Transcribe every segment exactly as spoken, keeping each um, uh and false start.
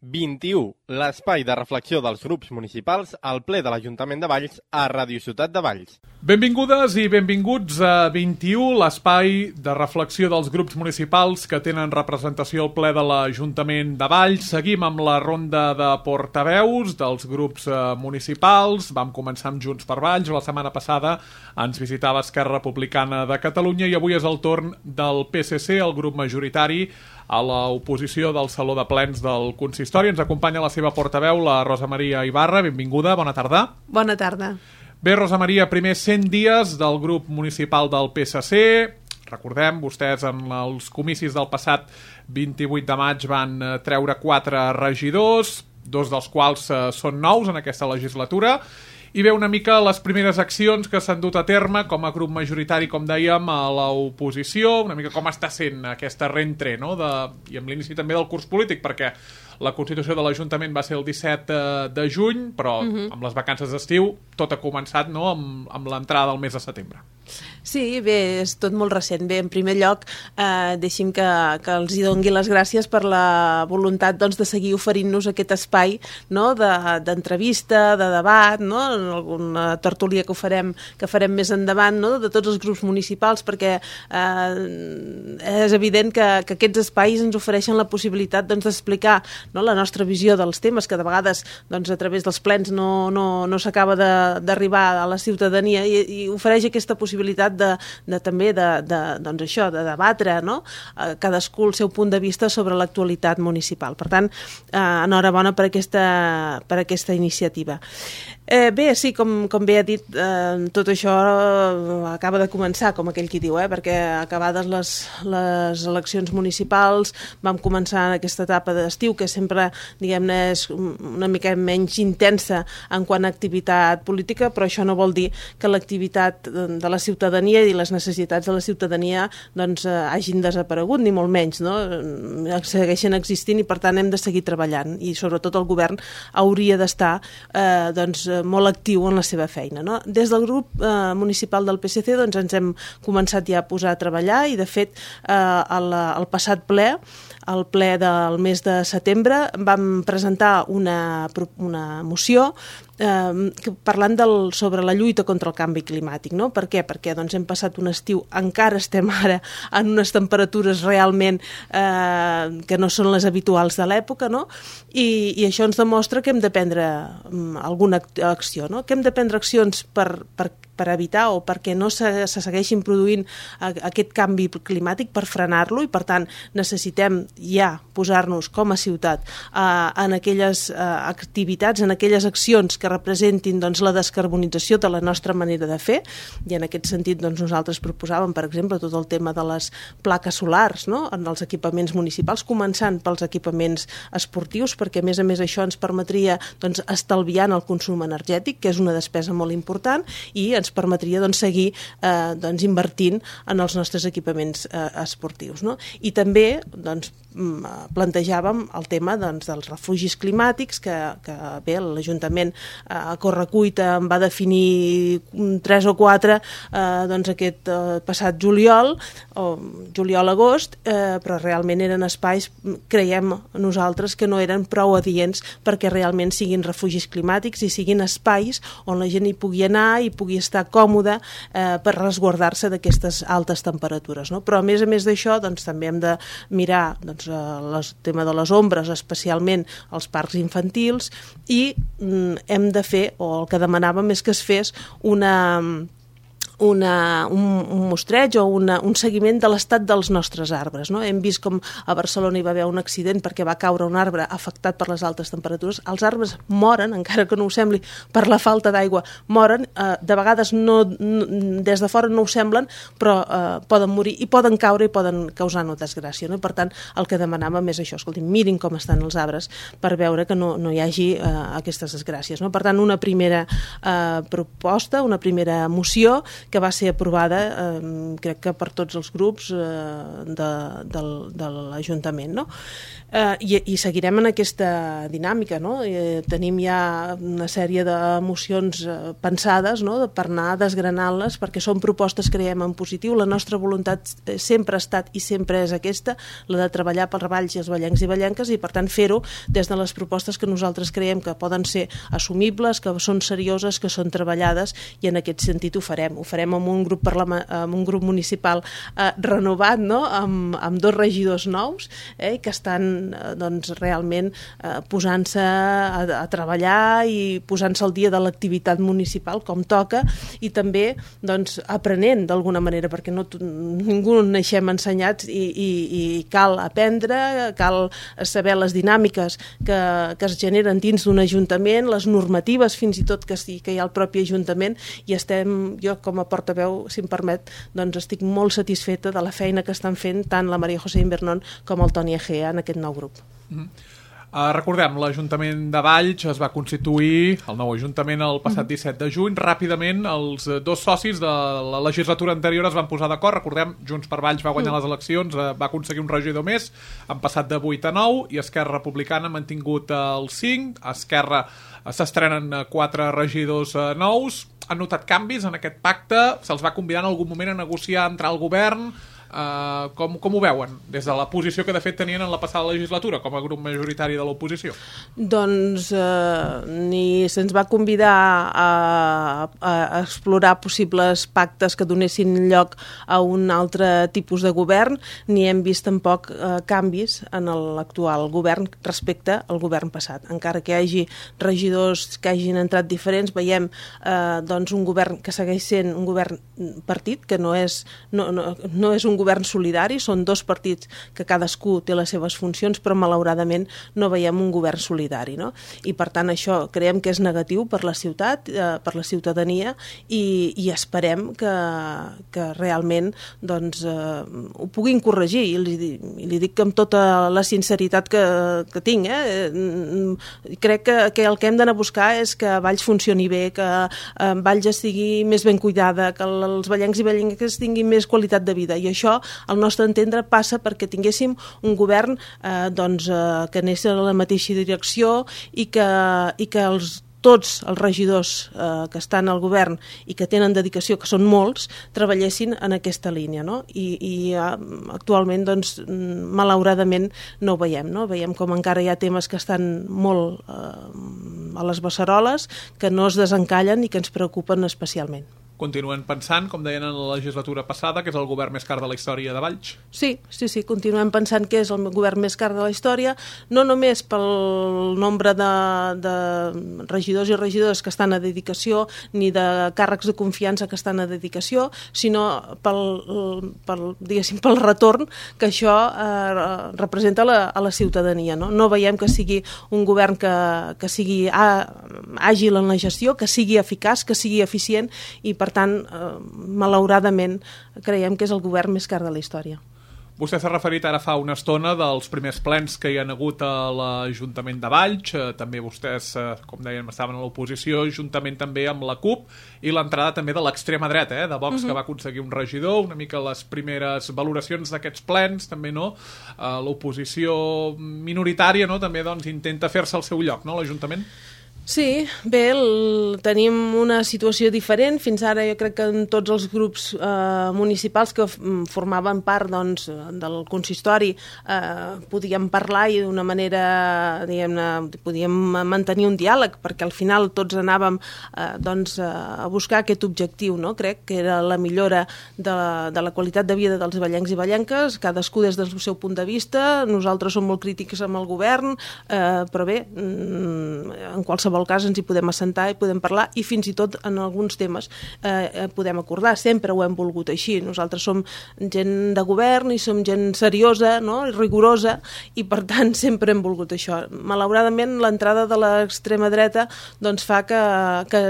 vint-i-u, l'espai de reflexió dels grups municipals al ple de l'Ajuntament de Valls a Ràdio Ciutat de Valls. Benvingudes i benvinguts a vint-i-u, l'espai de reflexió dels grups municipals que tenen representació al ple de l'Ajuntament de Valls. Seguim amb la ronda de portaveus dels grups municipals. Vam començar amb Junts per Valls. La setmana passada ens visitava Esquerra Republicana de Catalunya i avui és el torn del P S C, el grup majoritari a l'oposició del Saló de Plens del Consistori. Ens acompanya la seva portaveu, la Rosa Maria Ibarra. Benvinguda, bona tarda. Bona tarda. Bé, Rosa Maria, primers cent dies del grup municipal del P S C. Recordem, vostès en els comicis del passat vint-i-vuit de maig van treure quatre regidors, dos dels quals són nous en aquesta legislatura, i ve una mica les primeres accions que s'han dut a terme com a grup majoritari, com dèiem, a l'oposició, una mica com està sent aquesta rentre, no? de, i amb l'inici també del curs polític, perquè la constitució de l'Ajuntament va ser el disset de juny, però uh-huh. amb les vacances d'estiu tot ha començat, no? amb, amb l'entrada del mes de setembre. Sí, bé, és tot molt recent. Bé, en primer lloc, eh, deixi'm que, que els hi dongui les gràcies per la voluntat doncs, de seguir oferint-nos aquest espai, no? d'entrevista, de, de debat, no? En alguna tertúlia que ho farem, que farem més endavant, no? De tots els grups municipals, perquè eh, és evident que, que aquests espais ens ofereixen la possibilitat doncs, d'explicar, no? La nostra visió dels temes, que de vegades doncs, a través dels plens no, no, no s'acaba d'arribar a la ciutadania, i, i ofereix aquesta possibilitat de, de també de, de, doncs això, de debatre, no? eh, cadascú el seu punt de vista sobre l'actualitat municipal. Per tant, eh, enhorabona per aquesta, per aquesta iniciativa. Eh, bé, sí, com, com bé ha dit, eh, tot això eh, acaba de començar, com aquell qui diu, eh, perquè acabades les, les eleccions municipals vam començar en aquesta etapa d'estiu, que sempre, diguem-ne, és una mica menys intensa en quant a activitat política, però això no vol dir que l'activitat de la ciutadania i les necessitats de la ciutadania doncs, eh, hagin desaparegut, ni molt menys, no? Segueixen existint i per tant hem de seguir treballant, i sobretot el govern hauria d'estar eh, doncs, molt actiu en la seva feina, no? Des del grup eh, municipal del P S C doncs, ens hem començat ja a posar a treballar, i de fet eh, el, el passat ple, el ple del mes de setembre, vam presentar una, una moció Eh, parlant del, sobre la lluita contra el canvi climàtic, no? Per què? Perquè doncs, hem passat un estiu, encara estem ara en unes temperatures realment eh, que no són les habituals de l'època, no? I, i això ens demostra que hem de prendre um, alguna acció, no? Que hem de prendre accions per, per, per evitar o perquè no se, se segueixin produint a, aquest canvi climàtic, per frenar-lo, i per tant necessitem ja posar-nos com a ciutat eh, en aquelles eh, activitats, en aquelles accions que que representin doncs, la descarbonització de la nostra manera de fer, i en aquest sentit doncs, nosaltres proposàvem, per exemple, tot el tema de les plaques solars, no? En els equipaments municipals, començant pels equipaments esportius, perquè a més a més això ens permetria doncs, estalviar en el consum energètic, que és una despesa molt important, i ens permetria doncs, seguir eh, doncs, invertint en els nostres equipaments eh, esportius, no? I també doncs, plantejàvem el tema doncs, dels refugis climàtics, que, que bé, l'Ajuntament a correcuita en va definir tres o quatre eh, doncs aquest eh, passat juliol o juliol-agost, eh, però realment eren espais, creiem nosaltres, que no eren prou adients perquè realment siguin refugis climàtics i siguin espais on la gent hi pugui anar i pugui estar còmoda eh, per resguardar-se d'aquestes altes temperatures, no? Però a més a més d'això doncs, també hem de mirar doncs, el tema de les ombres, especialment als parcs infantils, i mm, hem de fer, o el que demanàvem és que es fes una... Una, un, un mostreig o una, un seguiment de l'estat dels nostres arbres, no? Hem vist com a Barcelona hi va haver un accident perquè va caure un arbre afectat per les altes temperatures. Els arbres moren, encara que no ho sembli, per la falta d'aigua, moren, eh, de vegades no, no, des de fora no ho semblen, però eh, poden morir i poden caure i poden causar una desgràcia, no? Per tant, el que demanàvem és això, escolti, mirin com estan els arbres per veure que no, no hi hagi eh, aquestes desgràcies, no? Per tant, una primera eh, proposta, una primera moció que va ser aprovada, eh, crec que per tots els grups eh, de, del, de l'Ajuntament, no? Eh, i, i seguirem en aquesta dinàmica, no? Eh, tenim ja una sèrie de mocions eh, pensades, no? Per anar desgranant-les, perquè són propostes, creiem, en positiu. La nostra voluntat sempre ha estat i sempre és aquesta, la de treballar pels Valls i els vallencs i vallenques, i per tant fer-ho des de les propostes que nosaltres creiem que poden ser assumibles, que són serioses, que són treballades, i en aquest sentit ho farem. Ho farem amb un grup, amb un grup municipal eh, renovat, no? amb, amb dos regidors nous, eh? que estan doncs, realment eh, posant-se a, a treballar i posant-se al dia de l'activitat municipal com toca, i també doncs, aprenent d'alguna manera, perquè no, ningú naixem ensenyats, i, i, i cal aprendre, cal saber les dinàmiques que, que es generen dins d'un ajuntament, les normatives fins i tot que, sí, que hi ha al propi ajuntament, i estem, jo com a portaveu, si em permet, doncs estic molt satisfeta de la feina que estan fent tant la Maria José Invernon com el Toni Egea en aquest nou grup. Mm-hmm. Uh, recordem, l'Ajuntament de Valls es va constituir, el nou Ajuntament, el passat disset de juny. Ràpidament, els dos socis de la legislatura anterior es van posar d'acord. Recordem, Junts per Valls va guanyar les eleccions, uh, va aconseguir un regidor més, han passat de vuit a nou, i Esquerra Republicana ha mantingut els cinc. A Esquerra uh, s'estrenen quatre regidors uh, nous. Han notat canvis en aquest pacte? Se'ls va convidar en algun moment a negociar, entrar al govern? Uh, com, com ho veuen des de la posició que de fet tenien en la passada legislatura com a grup majoritari de l'oposició? Doncs uh, ni se'ns va convidar a, a explorar possibles pactes que donessin lloc a un altre tipus de govern, ni hem vist tampoc uh, canvis en l'actual govern respecte al govern passat. Encara que hi hagi regidors que hagin entrat diferents, veiem uh, doncs un govern que segueix sent un govern partit, que no és, no, no, no és un govern solidari, són dos partits que cadascú té les seves funcions, però malauradament no veiem un govern solidari, no? I per tant això creiem que és negatiu per la ciutat, eh, per la ciutadania, i, i esperem que, que realment doncs, eh, ho puguin corregir, i li, i li dic amb tota la sinceritat que, que tinc, eh? Crec que, que el que hem d'anar a buscar és que Valls funcioni bé, que eh, Valls estigui més ben cuidada, que els vallencs i vallenques tinguin més qualitat de vida, i això, al nostre entendre, passa perquè tinguéssim un govern eh, doncs, eh, que anés a la mateixa direcció, i que, i que els tots els regidors eh, que estan al govern i que tenen dedicació, que són molts, treballessin en aquesta línia, no? I, i eh, actualment, doncs, malauradament no ho veiem, no? Veiem com encara hi ha temes que estan molt eh, a les beceroles, que no es desencallen i que ens preocupen especialment. Continuen pensant, com deien en la legislatura passada, que és el govern més car de la història de Valls? Sí, sí, sí, continuem pensant que és el govern més car de la història, no només pel nombre de, de regidors i regidores que estan a dedicació, ni de càrrecs de confiança que estan a dedicació, sinó pel, pel, diguéssim, pel retorn que això eh, representa a la, a la ciutadania. No? no veiem que sigui un govern que, que sigui àgil en la gestió, que sigui eficaç, que sigui eficient, i per Per tant, eh, malauradament, creiem que és el govern més car de la història. Vostè s'ha referit ara fa una estona dels primers plens que hi ha hagut a l'Ajuntament de Valls. També vostès, com dèiem, estaven a l'oposició, juntament també amb la CUP, i l'entrada també de l'extrema dreta, eh, de Vox, uh-huh. que va aconseguir un regidor, una mica les primeres valoracions d'aquests plens, també, no? L'oposició minoritària, no?, també doncs, intenta fer-se el seu lloc, no?, l'Ajuntament. Sí, bé, el, tenim una situació diferent. Fins ara jo crec que en tots els grups eh, municipals que formaven part doncs, del consistori eh, podíem parlar i d'una manera, diguem-ne, podíem mantenir un diàleg, perquè al final tots anàvem eh, doncs, a buscar aquest objectiu, no? Crec que era la millora de la, de la qualitat de vida dels vallencs i vallenques, cadascú des del seu punt de vista. Nosaltres som molt crítics amb el govern, eh, però bé, en qualsevol qualsevol cas ens hi podem assentar i podem parlar, i fins i tot en alguns temes eh, podem acordar. Sempre ho hem volgut així. Nosaltres som gent de govern i som gent seriosa, no?, i rigorosa, i per tant sempre hem volgut això. Malauradament l'entrada de l'extrema dreta doncs fa que, que,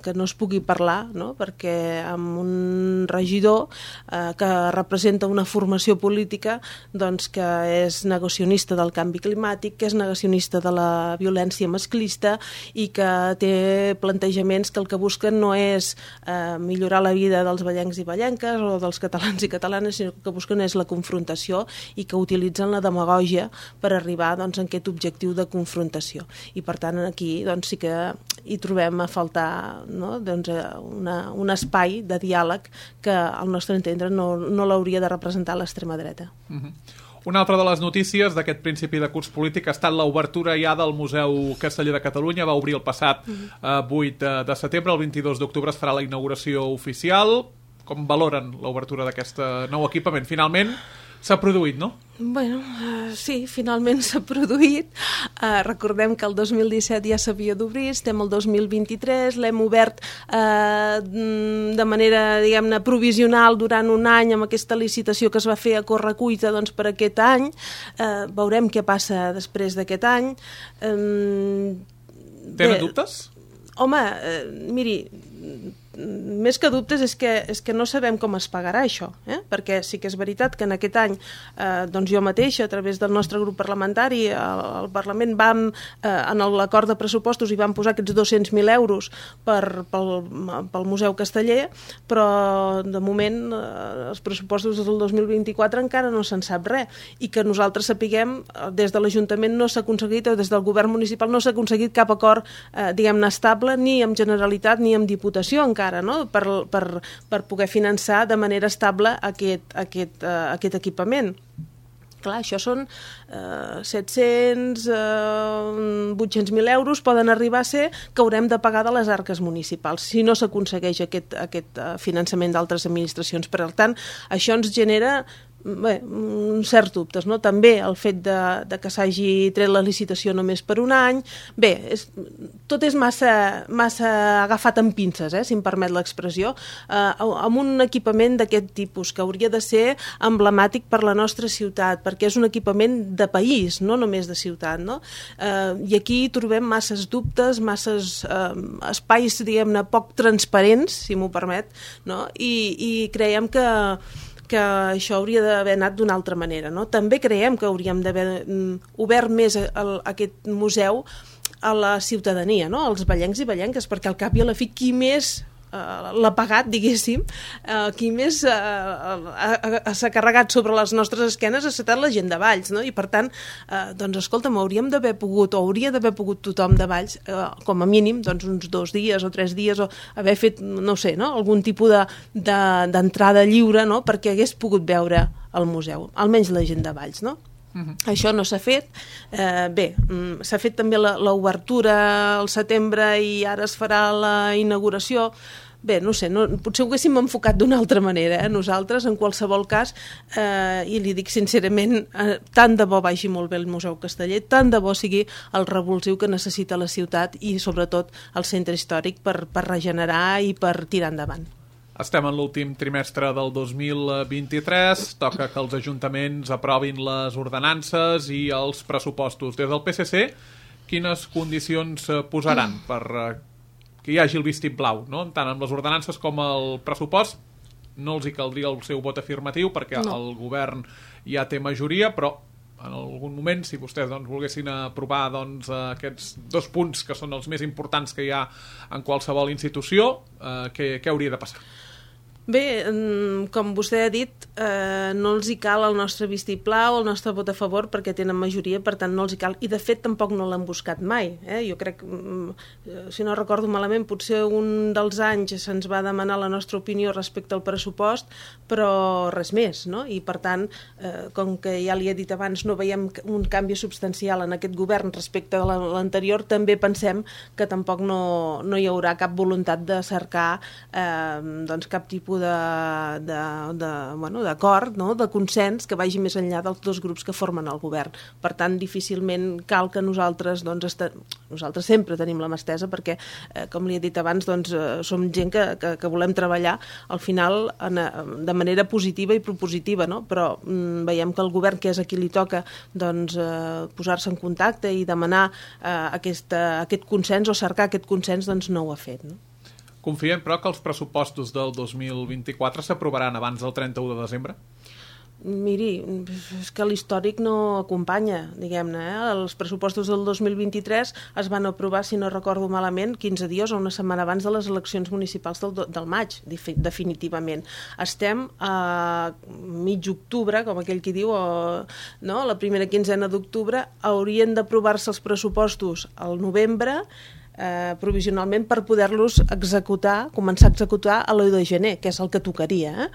que no es pugui parlar, no?, perquè amb un regidor eh, que representa una formació política doncs que és negacionista del canvi climàtic, que és negacionista de la violència masclista i que té plantejaments que el que busquen no és eh, millorar la vida dels ballencs i ballenques o dels catalans i catalanes, sinó que el que busquen és la confrontació i que utilitzen la demagògia per arribar doncs, a aquest objectiu de confrontació. I per tant aquí doncs, sí que hi trobem a faltar no? doncs, una, un espai de diàleg que al nostre entendre no, no l'hauria de representar l'extrema dreta. Mm-hmm. Una altra de les notícies d'aquest principi de curs polític ha estat l'obertura ja del Museu Casteller de Catalunya. Va obrir el passat eh, vuit de setembre, el vint-i-dos d'octubre es farà la inauguració oficial. Com valoren l'obertura d'aquest nou equipament? Finalment s'ha produït, no? Bueno, uh, sí, finalment s'ha produït. Uh, recordem que el dos mil disset ja s'havia d'obrir, estem el dos mil vint-i-tres, l'hem obert uh, de manera, diguem-ne, provisional durant un any amb aquesta licitació que es va fer a correcuita doncs, per aquest any. Uh, veurem què passa després d'aquest any. Um, Tenen bé, dubtes? Home, uh, miri, més que dubtes és que, és que no sabem com es pagarà això, eh? Perquè sí que és veritat que en aquest any eh, doncs jo mateixa, a través del nostre grup parlamentari, al, al Parlament vam, eh, en l'acord de pressupostos hi vam posar aquests dos-cents mil euros per, pel, pel Museu Casteller, però de moment eh, els pressupostos del dos mil vint-i-quatre encara no se'n sap res, i que nosaltres sapiguem, des de l'Ajuntament no s'ha aconseguit, o des del govern municipal no s'ha aconseguit cap acord, eh, diguem-ne, estable, ni amb Generalitat ni amb Diputació encara, no? per, per, per poder finançar de manera estable aquest, aquest, uh, aquest equipament. Clar, això són eh, set-cents, eh, vuit-cents mil euros, poden arribar a ser que haurem de pagar de les arques municipals si no s'aconsegueix aquest, aquest uh, finançament d'altres administracions. Per tant, això ens genera bé, uns certs dubtes, no? També el fet de, de que s'hagi tret la licitació només per un any. Bé, és, tot és massa, massa agafat amb pinces, eh, si em permet l'expressió, eh, amb un equipament d'aquest tipus, que hauria de ser emblemàtic per la nostra ciutat, perquè és un equipament de país, no només de ciutat, no? Eh, I aquí trobem masses dubtes, masses eh, espais, diguem-ne, poc transparents, si m'ho permet, no? I, i creiem que que això hauria d'haver anat d'una altra manera, no? També creiem que hauríem d'haver obert més el, aquest museu a la ciutadania, no? Als ballencs i ballenques, perquè al cap i a la fi qui més uh, l'ha pagat, diguéssim, uh, qui més uh, uh, s'ha carregat sobre les nostres esquenes ha estat la gent de Valls, no? I per tant, uh, doncs escolta'm, hauríem d'haver pogut, o hauria d'haver pogut tothom de Valls, uh, com a mínim, doncs uns dos dies o tres dies, o haver fet, no sé, no? Algun tipus de, de, d'entrada lliure, no? Perquè hagués pogut veure el museu, almenys la gent de Valls, no? Uh-huh. Això no s'ha fet. Eh, bé, s'ha fet també l'obertura al setembre i ara es farà la inauguració. Bé, no sé, no, potser ho haguéssim enfocat d'una altra manera, eh? Nosaltres, en qualsevol cas, eh, i li dic sincerament, eh, tant de bo vagi molt bé el Museu Casteller, tant de bo sigui el revulsiu que necessita la ciutat i sobretot el centre històric per, per regenerar i per tirar endavant. Estem en l'últim trimestre del dos mil vint-i-tres, toca que els ajuntaments aprovin les ordenances i els pressupostos. Des del P S C, quines condicions posaran per que hi hagi el vistiplau, no? Tant amb les ordenances com el pressupost? No els hi caldria el seu vot afirmatiu perquè no. El govern ja té majoria, però en algun moment, si vostès doncs, volguessin aprovar doncs, aquests dos punts que són els més importants que hi ha en qualsevol institució, eh, què, què hauria de passar? Bé, com vostè ha dit, eh, no els hi cal el nostre vistiplau, el nostre vot a favor, perquè tenen majoria, per tant no els hi cal, i de fet tampoc no l'han buscat mai. Eh? Jo crec, si no recordo malament, potser un dels anys se'ns va demanar la nostra opinió respecte al pressupost, però res més, no? I per tant, eh, com que ja li he dit abans, no veiem un canvi substancial en aquest govern respecte a l'anterior, també pensem que tampoc no, no hi haurà cap voluntat de cercar eh, doncs cap tipus de, de, de, bueno, d'acord, no? De consens que vagi més enllà dels dos grups que formen el govern. Per tant, difícilment cal que nosaltres, doncs, est... nosaltres sempre tenim la mà estesa perquè, eh, com li he dit abans, doncs, eh, som gent que, que, que volem treballar al final en, de manera positiva i propositiva, no? Però mm, veiem que el govern, que és a qui li toca doncs, eh, posar-se en contacte i demanar eh, aquesta, aquest consens o cercar aquest consens, doncs no ho ha fet, no? Confiem, però, que els pressupostos del dos mil vint-i-quatre s'aprovaran abans del trenta-u de desembre? Miri, és que l'històric no acompanya, diguem-ne. Eh? Els pressupostos del dos mil vint-i-tres es van aprovar, si no recordo malament, quinze dies o una setmana abans de les eleccions municipals del, del maig, definitivament. Estem a mig octubre, com aquell qui diu, o, no? La primera quinzena d'octubre, haurien d'aprovar-se els pressupostos al novembre, Eh, provisionalment per poder-los executar, començar a executar a l'u de gener, que és el que tocaria. Eh?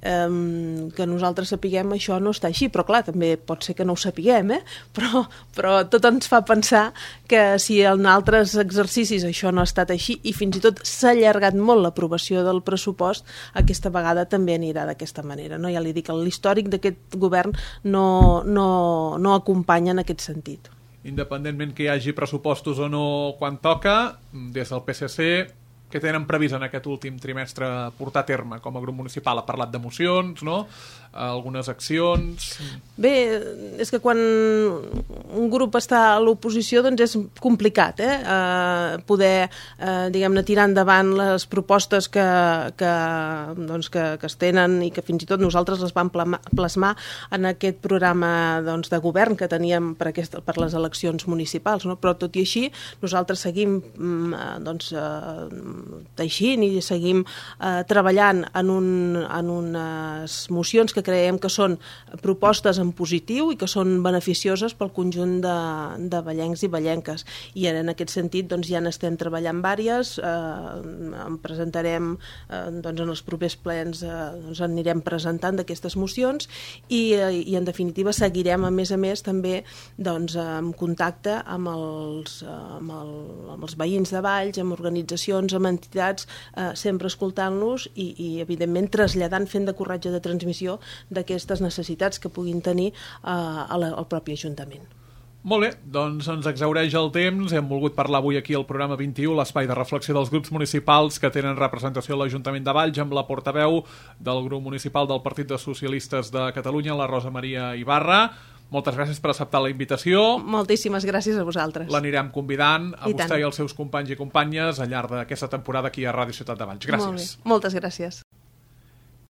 Eh, que nosaltres sapiguem això no està així, però clar, també pot ser que no ho sapiguem, eh? però, però tot ens fa pensar que si en altres exercicis això no ha estat així i fins i tot s'ha allargat molt l'aprovació del pressupost, aquesta vegada també anirà d'aquesta manera. No? Ja li dic, l'històric d'aquest govern no, no, no acompanya en aquest sentit. Independentment que hi hagi pressupostos o no quan toca, des del P S C, què tenen previst en aquest últim trimestre portar a terme? Com a grup municipal ha parlat de mocions, no? Algunes accions... Bé, és que quan un grup està a l'oposició doncs és complicat, eh? Uh, poder, uh, diguem-ne, tirar endavant les propostes que, que, doncs, que, que es tenen i que fins i tot nosaltres les vam plasmar en aquest programa doncs, de govern que teníem per, aquesta, per les eleccions municipals, no? Però tot i així nosaltres seguim doncs, uh, teixint i seguim uh, treballant en, un, en unes mocions que creiem que són propostes en positiu i que són beneficioses pel conjunt de, de vallencs i vallenques. I en aquest sentit doncs, ja n'estem treballant vàries, eh, en presentarem eh, doncs, en els propers plens, eh, doncs, anirem presentant d'aquestes mocions i, eh, i en definitiva seguirem a més a més també doncs, en contacte amb els, amb, el, amb els veïns de Valls, amb organitzacions, amb entitats, eh, sempre escoltant-los i, i evidentment traslladant, fent de corretja de transmissió d'aquestes necessitats que puguin tenir eh, al, al propi Ajuntament. Molt bé, doncs ens exhaureix el temps. Hem volgut parlar avui aquí al programa vint-i-u, l'espai de reflexió dels grups municipals que tenen representació a l'Ajuntament de Valls, amb la portaveu del grup municipal del Partit dels Socialistes de Catalunya, la Rosa Maria Ibarra. Moltes gràcies per acceptar la invitació. Moltíssimes gràcies a vosaltres. L'anirem convidant a I vostè tant. i els seus companys i companyes al llarg d'aquesta temporada aquí a Ràdio Ciutat de Valls. Gràcies. Molt bé. Moltes gràcies.